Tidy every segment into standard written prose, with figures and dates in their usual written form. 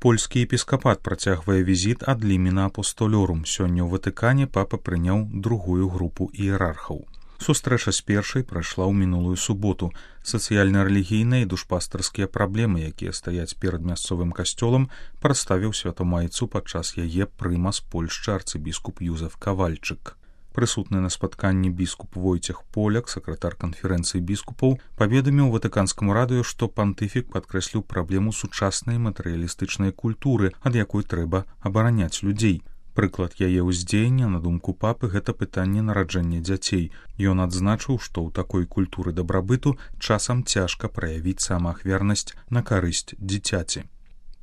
Польскі епіскапат працягвае візіт ад лімена апостолёрум. Сёння ў Ватыкане папа прыняў другую групу іерархаў. Сустрэча з першай прайшла ў мінулую суботу. Сацыяльна-рэлігійныя і душпастарскія праблемы, якія стаяць перад мясцовым касцёлам, прадставіў святамайцу падчас яе прымас Польшчы арцыбіскуп Юзеф Кавальчык. Прысутны на спатканні біскуп Войцех Поляк, сакратар канферэнцыі біскупаў, паведаміў ватыканскаму радыё, што пантыфік падкрэсліў праблему сучаснай матэрыялістычнай культуры, ад якой трэба абараняць людзей. Прыклад яе ўздзеяння, на думку папы, гэта пытанне нараджэння дзяцей. Ён адзначыў, што ў такой культуры дабрабыту часам цяжка праявіць самаахвярнасць на карысць дзіцяці.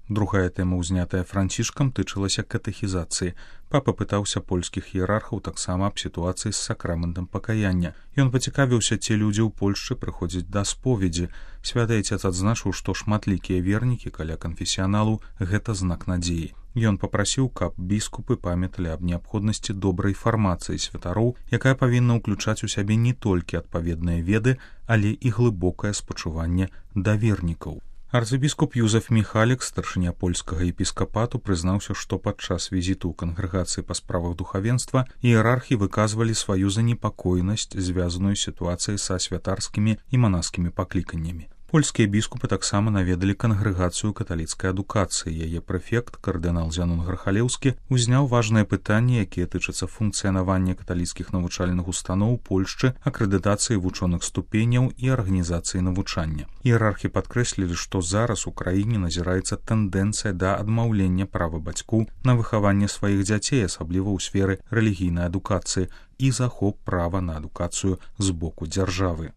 Другая тэма, узнятая Францішкам, тычылася катэхізацыі. Папа пытаўся польскіх іерархаў таксама аб сітуацыі з сакраментам пакаяння. Ён пацікавіўся, ці людзі ў Польшчы прыходзяць да споведзі. Святы Айцец адзначыў, што шматлікія вернікі каля канфесіяналу – гэта знак надзеі. Ён папрасіў, каб біскупы памяталі аб неабходнасці добрай фармацыі святароў, якая павінна ўключаць у сябе не толькі адпаведныя веды, але і глыбокае спачуванне да вернікаў. Арцыбіскуп Юзеф Міхалік, старшыня польскага епіскапату, прызнаўся, што падчас візіту ў кангрэгацыі па справах духавенства іерархі выказвалі сваю занепакоенасць, звязаную з сітуацыяй са святарскімі і манаскімі пакліканнямі. Польскія біскупы таксама наведалі кангрэгацыю каталіцкай адукацыі. Яе прэфект, кардынал Зянон Грахалеўскі, узняў важныя пытанні, якія тычацца функцыянавання каталіцкіх навучальных устаноў Польшчы, акрэдытацыі вучоных ступеняў і арганізацыі навучання. Іерархі падкрэслілі, што зараз у краіне назіраецца тэндэнцыя да адмаўлення права бацькоў на выхаванне сваіх дзяцей, асабліва ў сферы рэлігійнай адукацыі, і захоп права на адукацыю з боку дзяржавы.